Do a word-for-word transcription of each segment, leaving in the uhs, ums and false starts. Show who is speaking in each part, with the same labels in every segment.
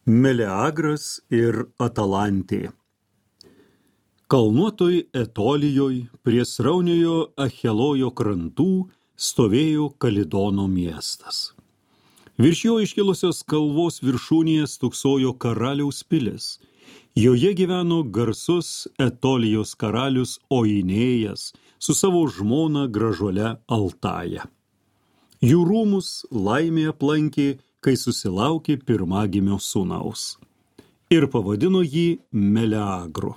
Speaker 1: Meleagras ir Atalantė. Kalnuotoj Etolijoj prie srauniojo Achelojo krantų stovėjo Kalidono miestas. Virš jo iškilusios kalvos viršūnėje stūksojo karaliaus pilis. Joje gyveno garsus Etolijos karalius Oinėjas su savo žmona gražuole Altaja. Jų rūmus laimė aplankė, kai susilaukė pirmagimio sūnaus. Ir pavadino jį Meleagru.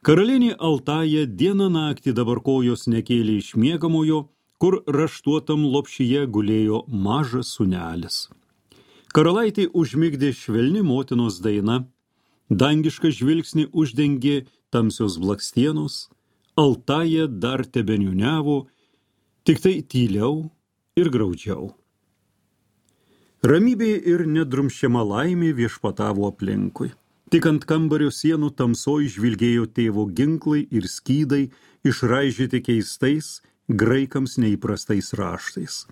Speaker 1: Karalienė Altaja dieną naktį dabar kojos nekėlė iš miegamojo, kur raštuotam lopšyje gulėjo mažas sūnelis. Karalaitė užmigdė švelni motinos daina, dangišką žvilgsnį uždengė tamsios blakstienos, Altaja dar tebeniuniavo, tik tai tyliau ir graudžiau. Ramybė ir nedrumščiama laimė viešpatavo aplinkui. Tik ant kambario sienų tamsoj žvilgėjo tėvo ginklai ir skydai, išraižyti keistais, graikams neįprastais raštais.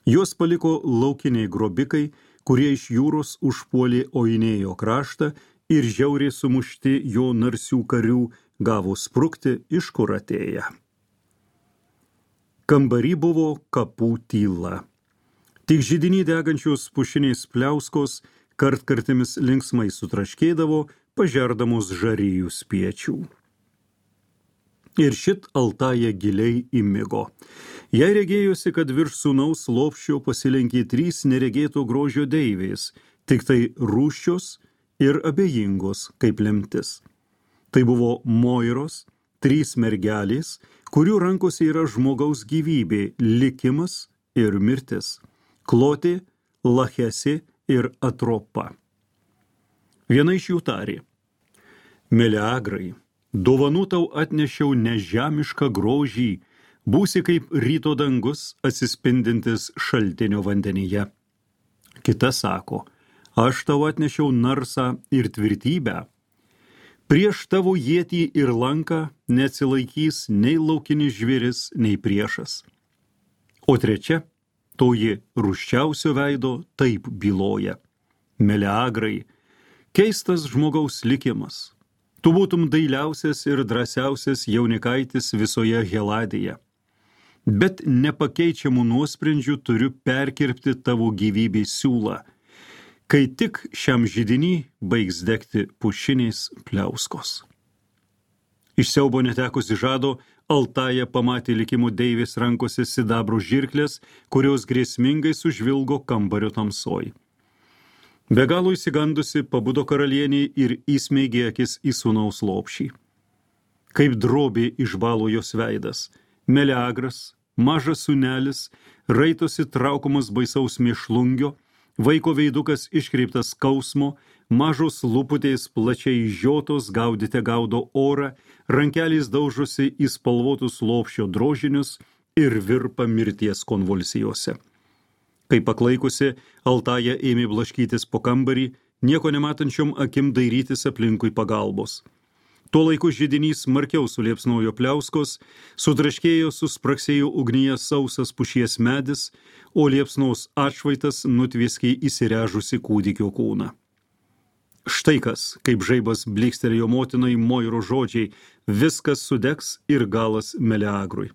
Speaker 1: Juos paliko laukiniai grobikai, kurie iš jūros užpuolė Oinėjo kraštą ir žiauriai sumušti jo narsių karių gavo sprukti, iš kur atėję. Kambary buvo kapų tyla. Tik židiny degančios pušiniais pliauskos kartkartimis linksmai sutraškėdavo, pažerdamos žarijų spiečių. Ir šit Altaja giliai įmigo. Jai regėjosi, kad virš sūnaus lopščio pasilenkė trys neregėto grožio deivės, tik tai rūsčios ir abejingos kaip lemtis. Tai buvo Moiros, trys mergelės, kurių rankose yra žmogaus gyvybė, likimas ir mirtis. Klotė, Lachesė ir Atropa. Viena iš jų tarė: Meleagrai, dovanų tau atnešiau nežemišką grožį, būsi kaip ryto dangus atsispindintis šaltinio vandenyje. Kita sako: aš tau atnešiau narsą ir tvirtybę. Prieš tavo ietį ir lanką neatsilaikys nei laukinis žvėris, nei priešas. O trečia, toji rūsčiausio veido, taip byloja: Meleagrai, keistas žmogaus likimas. Tu būtum dailiausias ir drąsiausias jaunikaitis visoje Heladėje. Bet nepakeičiamų nuosprendžių turiu perkirpti tavo gyvybės siūlą, kai tik šiam židiny baigs degti pušiniais pliauskos. Iš siaubo netekusi žado, Altaja pamatė likimo deivės rankose sidabro žirklės, kurios grėsmingai sužvilgo kambario tamsoj. Be galo įsigandusi pabudo karalienė ir įsmeigė akis į sūnaus lopšį. Kaip drobė išbalo jos veidas, Meleagras, mažas sūnelis, raitosi traukomas baisaus mėšlungio, vaiko veidukas iškreiptas skausmo, mažos lūputės plačiai žiotos gaudite gaudo orą, rankelės daužosi į spalvotus lopščio drožinius ir virpa mirties konvulsijose. Kai paklaikusi, Altaja ėmė blaškytis po kambarį, nieko nematančiom akim dairytis aplinkui pagalbos. Tuo laiku židinys smarkiau suliepsnojo pliauskos, sutraškėjo, suspraksėjo ugnyje sausas pušies medis, o liepsnos atšvaitas nutvieskė įsirežusi kūdikio kūną. Štai kas, kaip žaibas blykstelėjo motinai Moiro žodžiai: viskas sudegs ir galas Meleagrui.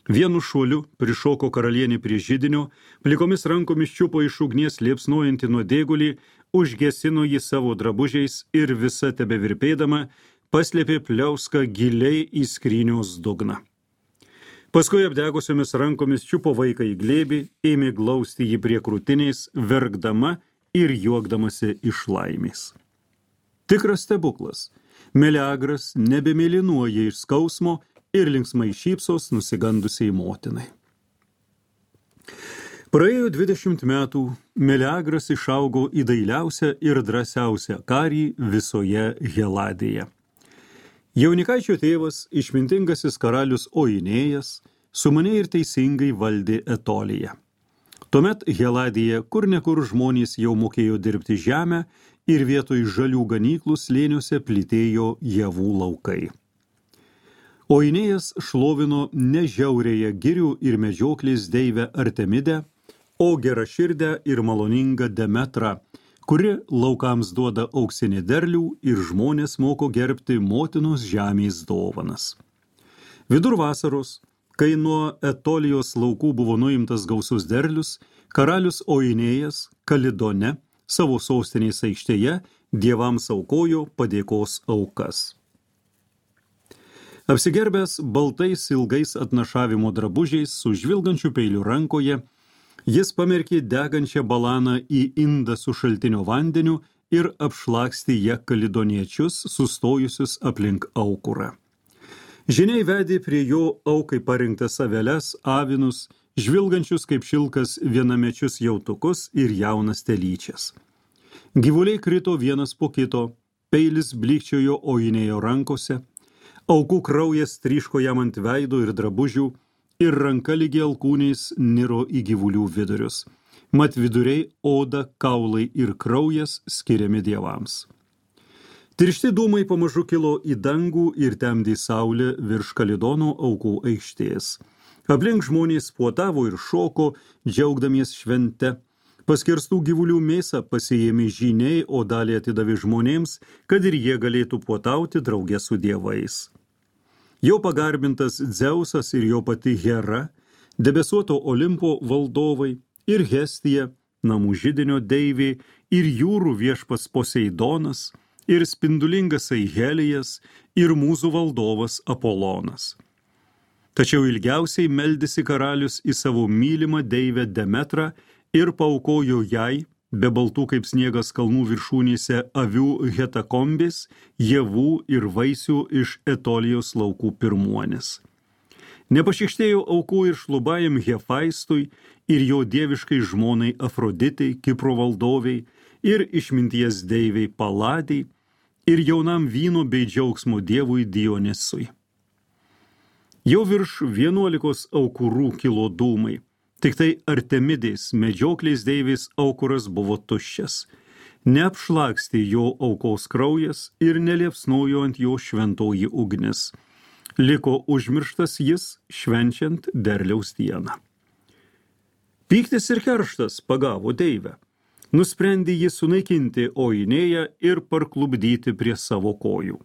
Speaker 1: Vienu šuoliu prišoko karalienė prie židinio, plikomis rankomis čiupo iš ugnies liepsnojantį nuodėgulį, užgesino jį savo drabužiais ir visa tebevirpėdama paslėpė pliauską giliai į skrynios dugną. Paskui apdegusiomis rankomis čiupo vaiką į glėbį, ėmė glausti jį prie krūtinės, verkdama ir juokdamasi iš laimės. Tikras stebuklas. Meleagras nebemėlynuoja iš skausmo ir linksmai šypsos nusigandusiai motinai. Praėjo dvidešimt metų, Meleagras išaugo į dailiausią ir drąsiausią karį visoje Heladėje. Jaunikaičio tėvas, išmintingasis karalius Oinėjas, sumaniai ir teisingai valdė Etoliją. Tuomet Heladėje kur nekur žmonės jau mokėjo dirbti žemę ir vietoj žalių ganyklų slėniuose plytėjo javų laukai. Oinėjas šlovino ne žiaurėje girių ir medžioklės deivę Artemidę, o geraširdę ir maloningą Demetrą, kuri laukams duoda auksinį derlių ir žmonės moko gerbti motinos žemės dovanas. Vidur vasaros, kai nuo Etolijos laukų buvo nuimtas gausus derlius, karalius Oinėjas Kalidone savo sostinės aikštėje dievams aukojo padėkos aukas. Apsigerbęs baltais ilgais atnašavimo drabužiais su žvilgančiu peiliu rankoje, jis pamerkė degančią balaną į indą su šaltinio vandeniu ir apšlakstė ją kalidoniečius, sustojusius aplink aukurą. Žiniai vedė prie jo aukai parinktas aveles, avinus, žvilgančius kaip šilkas vienamečius jautukus ir jaunas telyčias. Gyvuliai krito vienas po kito, peilis blykčiojo Oinėjo rankose, aukų kraujas tryško jam ant veido ir drabužių, ir ranka lygi alkūniais niro į gyvulių vidurius. Mat viduriai oda, kaulai ir kraujas skiriami dievams. Tiršti dūmai pamažu kilo į dangų ir temdė saulė virš Kalidono aukų aikštės. Aplink žmonės puotavo ir šoko, džiaugdamies švente. Paskirstų gyvulių mėsą pasiėmė žyniai, o dalį atidavė žmonėms, kad ir jie galėtų puotauti drauge su dievais. Jau pagarbintas Dzeusas ir jo pati Hera, debesuoto Olimpo valdovai ir Hestija, namų židinio deivė ir jūrų viešpas Poseidonas ir spindulingas Aihelijas ir mūzų valdovas Apolonas. Tačiau ilgiausiai meldėsi karalius į savo mylimą deivę Demetrą ir paaukojo jai, be baltų kaip sniegas kalnų viršūnėse, avių hetakombės, javų ir vaisių iš Etolijos laukų pirmuonis. Nepašikštėjo aukų ir šlubajam Hefaistui ir jo dieviškai žmonai Afroditai, Kipro valdoviai, ir išminties deiviai Paladei, ir jaunam vyno bei džiaugsmo dievui Dionisui. Jau virš vienuolikos aukurų kilo dūmai. Tik tai Artemidės, medžioklės deivės aukuras buvo tuščias. Neapšlakstė jo aukos kraujas ir neliepsnojo ant jo šventoji ugnis. Liko užmirštas jis, švenčiant derliaus dieną. Pyktis ir kerštas pagavo deivę. Nusprendė jį sunaikinti Oinėją ir parklubdyti prie savo kojų.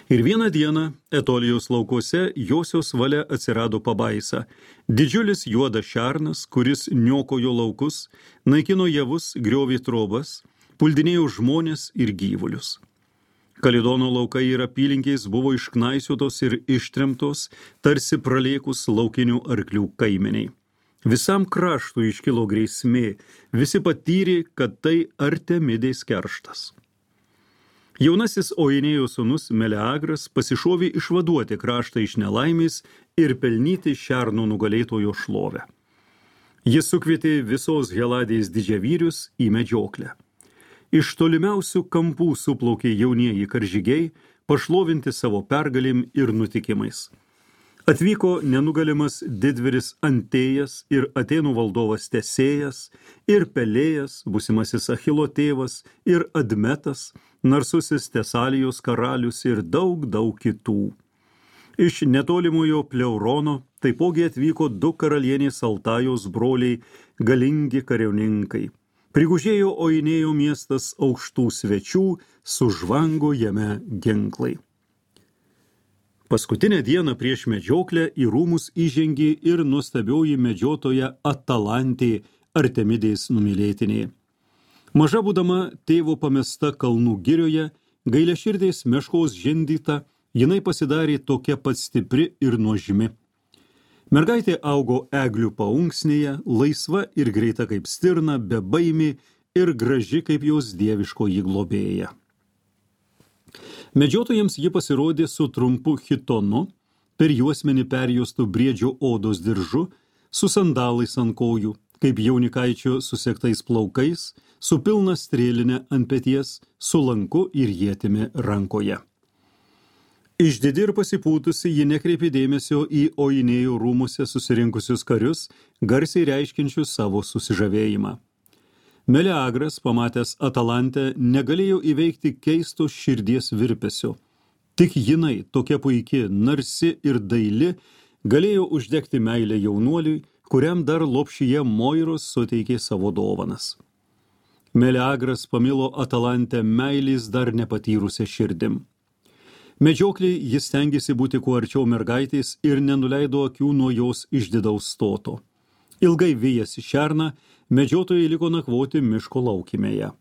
Speaker 1: Ir vieną dieną Etolijos laukuose josios valia atsirado pabaisa. Didžiulis juodas šernas, kuris niokojo laukus, naikino javus, griovė trobas, puldinėjo žmonės ir gyvulius. Kalidono laukai ir apylinkiais buvo išknaisiotos ir ištremtos, tarsi pralėkus laukinių arklių kaimeniai. Visam kraštui iškilo grėsmė, visi patyrė, kad tai Artemidės kerštas. Jaunasis Oinėjo sūnus Meleagras pasišovė išvaduoti kraštą iš nelaimės ir pelnyti šerno nugalėtojo šlovę. Jis sukvietė visos Heladės didžiavyrius į medžioklę. Iš tolimiausių kampų suplaukė jaunieji karžygiai, pašlovinti savo pergalėm ir nutikimais. Atvyko nenugalimas didvyris Antėjas ir Atėnų valdovas Tesėjas, ir Pelėjas, būsimasis Achilo tėvas, ir Admetas, narsusis Tesalijos karalius ir daug, daug kitų. Iš netolimojo Pleurono taipogi atvyko du karalienės Altajos broliai, galingi kariauninkai. Prigužėjo Oinėjo miestas aukštų svečių, sužvango jame ginklai. Paskutinę dieną prieš medžioklę į rūmus įžengė ir nuostabioji medžiotoja Atalantė, Artemidės numylėtinė. Maža būdama tėvo pamesta kalnų girioje, gailiaširdės meškos žindyta, jinai pasidarė tokia pat stipri ir nuožmi. Mergaitė augo eglių paunksnėje, laisva ir greita kaip stirna, bebaimė ir graži kaip jos dieviškoji globėja. Medžiotojams ji pasirodė su trumpu chitonu, per juosmenį perjuostų briedžio odos diržu, su sandalais ant kojų, kaip jaunikaičio susektais plaukais, su pilna strėline ant peties, su lanku ir ietimi rankoje. Išdidi ir pasipūtusi ji nekreipė dėmesio į Oinėjo rūmuose susirinkusius karius, garsiai reiškinčius savo susižavėjimą. Meleagras, pamatęs Atalantę, negalėjo įveikti keisto širdies virpesio. Tik jinai, tokia puiki, narsi ir daili, galėjo uždegti meilę jaunuoliui, kuriam dar lopšyje Moiros suteikė savo dovanas. Meleagras pamilo Atalantę meilės dar nepatyrusią širdim. Medžioklį jis stengėsi būti kuo arčiau mergaitės ir nenuleido akių nuo jos išdidaus stoto. Ilgai vėjasi šerną, medžiotojai liko nakvoti miško laukymėje.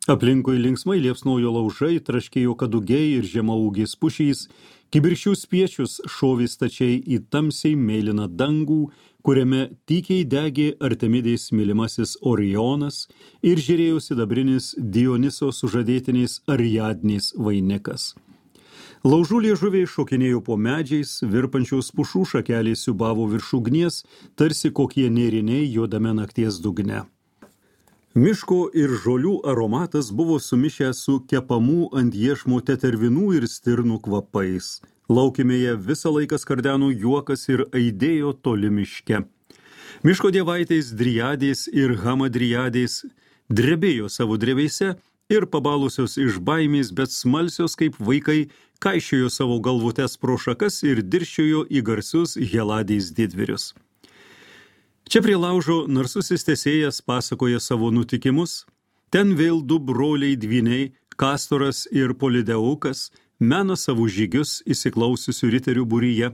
Speaker 1: Aplinkui linksmai liepsnojo laužai, traškėjo kadugiai ir žemaūgės pušys, kibirkščių spiečius šovė stačiai į tamsiai mėlyną dangų, kuriame tykiai degė Artemidės mylimasis Orionas ir žėrėjo sidabrinis Dioniso sužadėtinės Ariadnės vainikas. Laužų liežuviai šokinėjo po medžiais, virpančios pušų šakelės siūbavo virš ugnies, tarsi kokie nėriniai juodame nakties dugne. Miško ir žolių aromatas buvo sumišęs su kepamų ant iešmo tetervinų ir stirnų kvapais. Laukymėje visą laiką skardeno juokas ir aidėjo toli miške. Miško dievaitės Driadės ir Hamadriadės drebėjo savo drevėse ir pabalusios iš baimės, bet smalsios kaip vaikai, kaišiojo savo galvutes pro šakas ir dirščiojo į garsius Heladės didvyrius. Čia prie laužo narsusis tesėjas pasakoja savo nutikimus, ten vėl du broliai dvyniai, Kastoras ir Polideukas, mena savo žygius įsiklausiusių riterių būryje.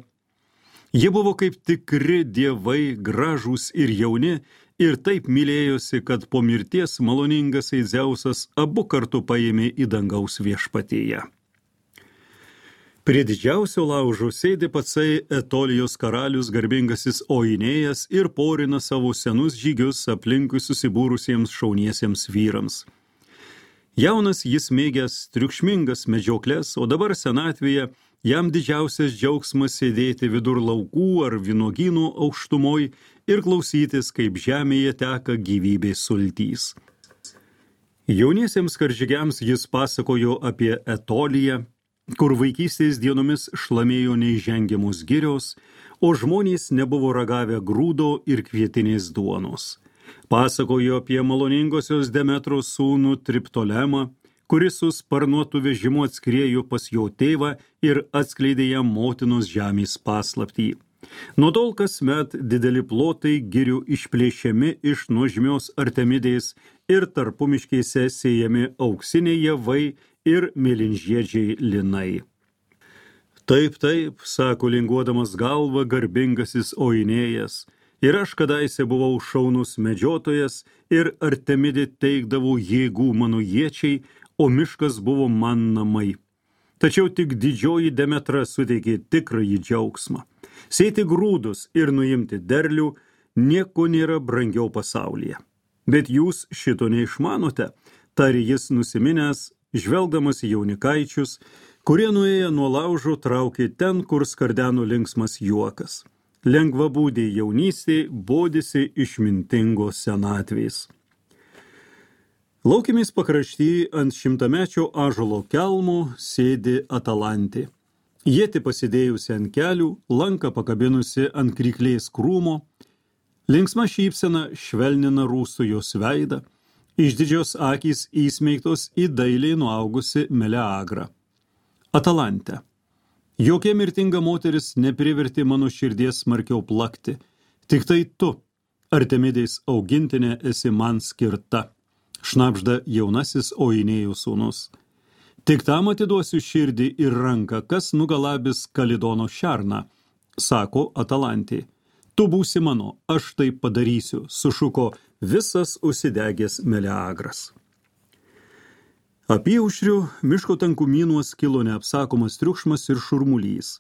Speaker 1: Jie buvo kaip tikri dievai, gražūs ir jauni, ir taip mylėjosi, kad po mirties maloningasai Dzeusas abu kartu paėmė į dangaus viešpatėje. Prie didžiausio laužo sėdi patsai Etolijos karalius garbingasis Oinėjas ir porina savo senus žygius aplinkui susibūrusiems šauniesiems vyrams. Jaunas jis mėgęs triukšmingas medžioklės, o dabar senatvėje jam didžiausias džiaugsmas sėdėti vidur laukų ar vynuogynų aukštumoj ir klausytis, kaip žemėje teka gyvybės sultys. Jauniesiems karžygiams jis pasakojo apie Etoliją, kur vaikystės dienomis šlamėjo neįžengiamos girios, o žmonės nebuvo ragavę grūdo ir kvietinės duonos. Pasakojo apie maloningosios Demetros sūnų Triptolemą, kuris su sparnuotu vežimu atskriejo pas jo tėvą ir atskleidė jam motinos žemės paslaptį. Nuo tol kasmet dideli plotai girių išplėšiami iš nuožmios Artemidės ir tarpumiškėse sėjami auksiniai javai ir mėlynžiedžiai linai. Taip, taip, sako linguodamas galvą garbingasis Oinėjas, ir aš kadaise buvau šaunus medžiotojas ir Artemidė teikdavo jėgų mano iečiai, o miškas buvo man namai. Tačiau tik didžioji Demetra suteikė tikrąjį džiaugsmą. Sėti grūdus ir nuimti derlių nieko nėra brangiau pasaulyje. Bet jūs šito neišmanote, tarė jis nusiminęs, žvelgdamas į jaunikaičius, kurie nuėję nuo laužo traukė ten, kur skardeno linksmas juokas. Lengvabūdė jaunystė bodėsi išmintingos senatvės. Laukymės pakrašty ant šimtamečio ąžuolo kelmo sėdi Atalantė. Ietį pasidėjusi ant kelių, lanką pakabinusi ant kryklės krūmo, linksma šypsena švelnina rūsų jos veidą, išdidžios akys įsmeigtos į dailiai nuaugusi Meleagrą. Atalantė. Jokia mirtinga moteris neprivertė mano širdies smarkiau plakti, tik tai tu, Artemidės augintinė, esi man skirta, šnabžda jaunasis Oinėjų sūnus. Tik tam atiduosiu širdį ir ranką, kas nugalabis Kalidono šerną, sako Atalantė. Tu būsi mano, aš tai padarysiu, sušuko visas užsidegęs Meleagras. Apyaušriu miško tankumynuos kilo neapsakomas triukšmas ir šurmulys.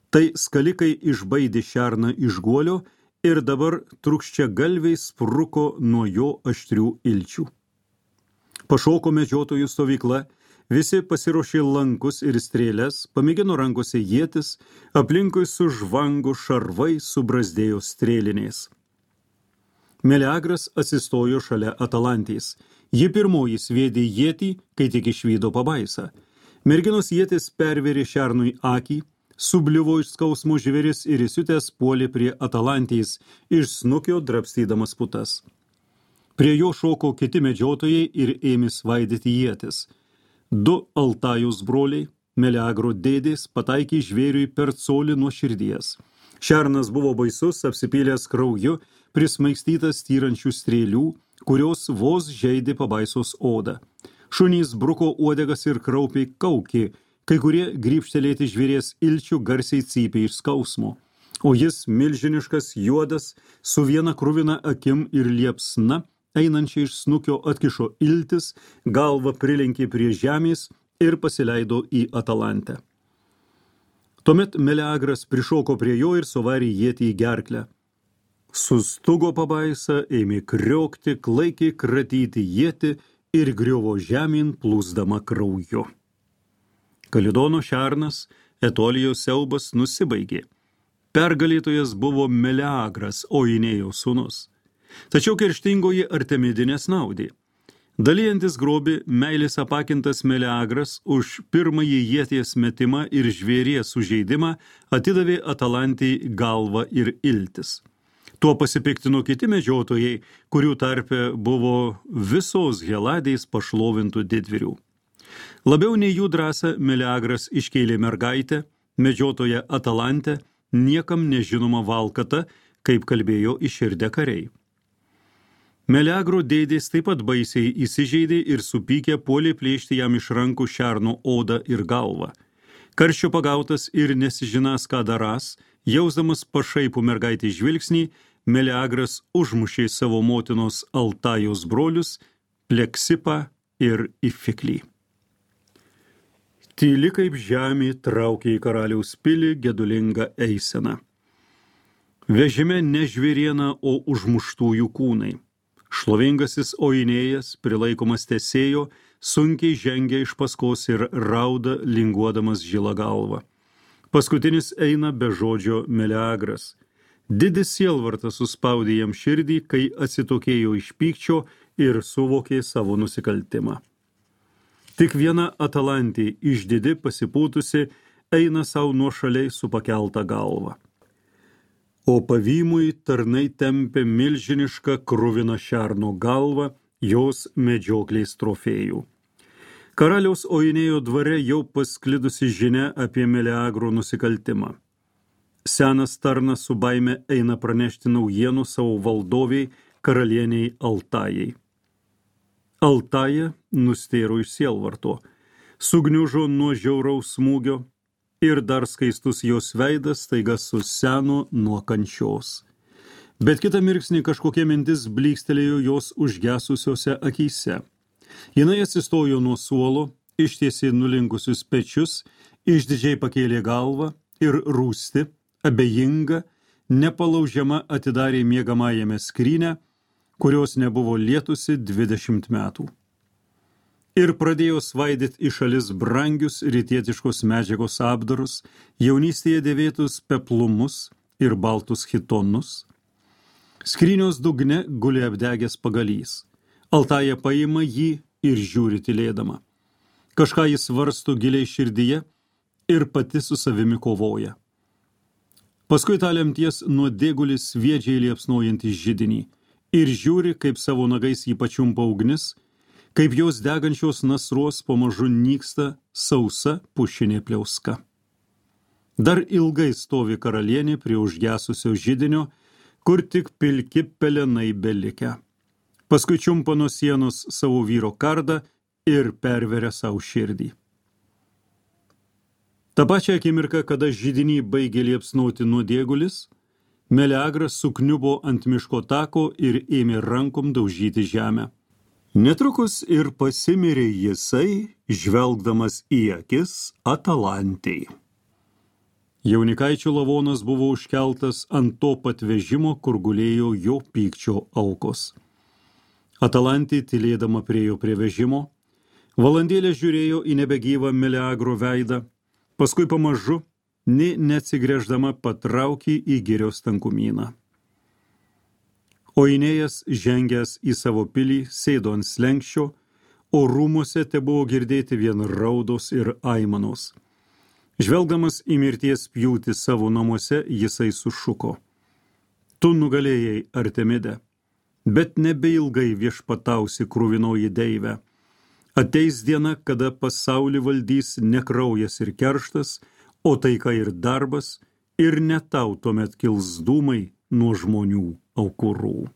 Speaker 1: Tai skalikai išbaidė šerną iš guolio ir dabar trukščia galviai spruko nuo jo aštrių ilčių. Pašoko medžiotojų stovykla, visi pasiruošė lankus ir strėles, pamėgino rankose ietis, aplinkui sužvango šarvai, subrazdėjo strėlinės. Meleagras atsistojo šalia Atalantės. Ji pirmoji sviedė ietį, kai tik išvydo pabaisą. Merginos ietis pervėrė šernui akį, subliuvo iš skausmo žvėris ir įsiutęs puolė prie Atalantės, iš snukio drabstydamas putas. Prie jo šoko kiti medžiotojai ir ėmė svaidyti ietis. Du Altajus broliai, Meleagro dėdės, pataikė žvėriui per colį nuo širdies. Šernas buvo baisus, apsipylęs krauju, prismaigstytas tyrančių strėlių, kurios vos žeidė pabaisos odą. Šunys bruko uodegas ir kraupiai kaukė, kai kurie grybštelėti žvėries ilčių garsiai cypė iš skausmo. O jis, milžiniškas, juodas, su viena kruvina akim ir liepsna, einančiai iš snukio atkišo iltis, galvą prilenkė prie žemės ir pasileido į Atalantę. Tuomet Meleagras prišoko prie jo ir suvarė ietį į gerklę. Sustugo pabaisa, ėmė kriokti, klaikiai kratyti ietį ir griuvo žemyn plūsdama krauju. Kalidono šernas, Etolijos siaubas nusibaigė. Pergalėtojas buvo Meleagras, Oinėjo sūnus. Tačiau kerštingoji Artemidė nesnaudė. Dalijantis grobį, meilės apakintas Meleagras už pirmąjį ieties metimą ir žvėries sužeidimą atidavė Atalantei galvą ir iltis. Tuo pasipiktino kiti medžiotojai, kurių tarpe buvo visos Heladės pašlovintų didvyrių. Labiau nei jų drąsą Meleagras iškėlė mergaitę, medžiotoją Atalantę, niekam nežinoma valkata, kaip kalbėjo iširdę kariai. Meleagro dėdės taip pat baisiai įsižeidė ir supykę puolė plėšti jam iš rankų šerno odą ir galvą. Karščio pagautas ir nesižinas, ką darąs, jausdamas pašaipų mergaitį žvilgsnį, Meleagras užmušė savo motinos Altajos brolius, Pleksipą ir Ifiklį. Tyli kaip žemė traukė į karaliaus pilį gedulingą eiseną. Vežime ne žvėriena, o užmuštųjų kūnai. Šlovingasis Oinėjas, prilaikomas tesėjo, sunkiai žengia iš paskos ir rauda, linguodamas žilą galvą. Paskutinis eina be žodžio Meleagras. Didis sielvartas suspaudė jam širdį, kai atsitokėjo iš pykčio ir suvokė savo nusikaltimą. Tik viena Atalantė, išdidi pasipūtusi, eina savo nuošaliai su pakelta galva. O pavymui tarnai tempė milžinišką kruviną šerno galvą, jos medžioklės trofėjų. Karaliaus Oinėjo dvare jau pasklidusi žinia apie Meleagro nusikaltimą. Senas tarnas su baime eina pranešti naujienų savo valdoviai karalieniai Altajai. Altaja nustėro iš sielvarto, sugniužo nuo žiauraus smūgio, ir dar skaistus jos veidas staiga suseno nuo kančios. Bet kitą mirksnį kažkokia mintis blykstelėjo jos užgesusiose akyse. Jinai atsistojo nuo suolo, ištiesė nulinkusius pečius, išdidžiai pakėlė galvą ir rūsti, abejinga, nepalaužiama atidarė miegamajame skrynę, kurios nebuvo lietusi dvidešimt metų. Ir pradėjo svaidyti į šalis brangius rytietiškos medžiagos apdarus, jaunystėje dėvėtus peplumus ir baltus chitonus. Skrynios dugne guli apdegęs pagalys. Altaja paima jį ir žiūri tylėdama. Kažką jis svarsto giliai širdyje ir pati su savimi kovoja. Paskui tą lemties nuodėgulis sviedžiai liepsnojantį židinį ir žiūri, kaip savo nagais jį pačiumpa ugnis, kaip jos degančios nasruos pamažu nyksta sausa pušinė pliauska. Dar ilgai stovi karalienė prie užgesusio židinio, kur tik pilki pelenai belikę. Paskui čiumpa nuo sienos savo vyro kardą ir perveria savo širdį. Ta pačia akimirka, kada židinį baigė liepsnoti nuodėgulis, Meleagras sukniubo ant miško tako ir ėmė rankom daužyti žemę. Netrukus ir pasimirė jisai, žvelgdamas į akis Atalantei. Jaunikaičio lavonas buvo užkeltas ant to pat vežimo, kur gulėjo jo pykčio aukos. Atalantė tylėdama priejo prie vežimo, valandėlę žiūrėjo į nebegyvą Meleagro veidą, paskui pamažu, nė neatsigręždama patraukė į girios tankumyną. Oinėjas, žengęs į savo pilį, sėdo ant slenkščio, o rūmuose tebuvo girdėti vien raudos ir aimanos. Žvelgdamas į mirties pjūtį savo namuose, jisai sušuko. Tu nugalėjai, Artemide, bet nebeilgai viešpatausi kruvinoji deivė. Ateis diena, kada pasaulį valdys ne kraujas ir kerštas, o taika ir darbas, ir ne tau tuomet kils dūmai nuo žmonių aukurų.